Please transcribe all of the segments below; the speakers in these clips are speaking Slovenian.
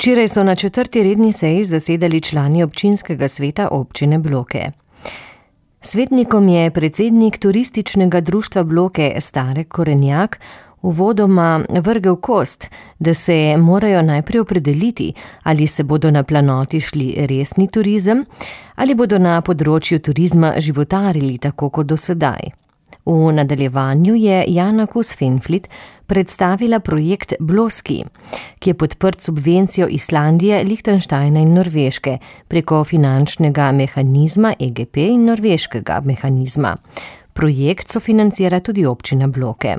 Včeraj so na 4. redni seji zasedali člani občinskega sveta občine Bloke. Svetnikom je predsednik turističnega društva Bloke Stare Korenjak uvodoma vrgel kost, da se morajo najprej opredeliti, ali se bodo na planoti šli resni turizem ali bodo na področju turizma životarili tako kot do sedaj. V nadaljevanju je Jana Kus-Fenflid predstavila projekt Bloski, ki je podprt subvencijo Islandije, Lihtenštajna in Norveške preko finančnega mehanizma EGP in norveškega mehanizma. Projekt sofinancira tudi občina Bloke.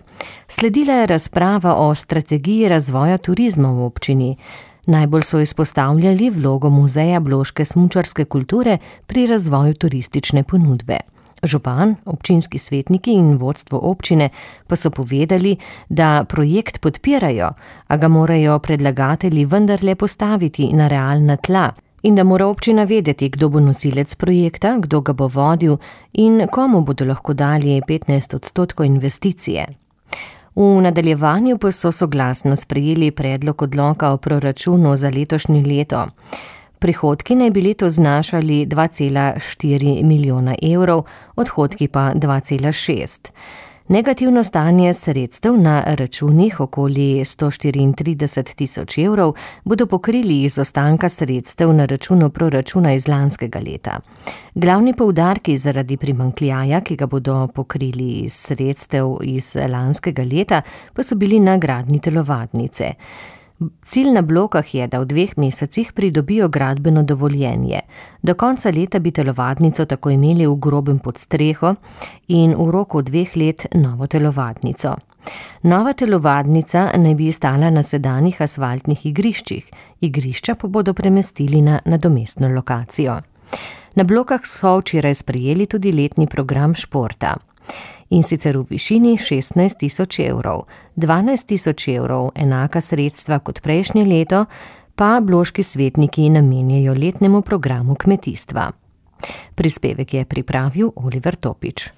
Sledila je razprava o strategiji razvoja turizma v občini. Najbolj so izpostavljali vlogo muzeja bloške smučarske kulture pri razvoju turistične ponudbe. Župan, občinski svetniki in vodstvo občine pa so povedali, da projekt podpirajo, a ga morajo predlagatelji vendarle postaviti na realna tla in da mora občina vedeti, kdo bo nosilec projekta, kdo ga bo vodil in komu bodo lahko dali 15% investicije. V nadaljevanju pa so soglasno sprejeli predlog odloka o proračunu za letošnje leto. Prihodki naj bi letos znašali 2,4 milijona evrov, odhodki pa 2,6. Negativno stanje sredstev na računih okoli 134 tisoč evrov bodo pokrili iz ostanka sredstev na računu proračuna iz lanskega leta. Glavni poudarki zaradi primanjkljaja, ki ga bodo pokrili iz sredstev iz lanskega leta, pa so bili na gradnji telovadnice. Cilj na Blokah je, da v 2 mesecih pridobijo gradbeno dovoljenje. Do konca leta bi telovadnico tako imeli v grobem podstreho in v roku 2 let novo telovadnico. Nova telovadnica naj bi stala na sedanjih asfaltnih igriščih, igrišča pa bodo premestili na nadomestno lokacijo. Na Blokah so včeraj sprejeli tudi letni program športa. In sicer v višini 16 tisoč evrov. 12 tisoč evrov, enaka sredstva kot prejšnje leto, pa bloški svetniki namenjajo letnemu programu kmetijstva. Prispevek je pripravil Oliver Topič.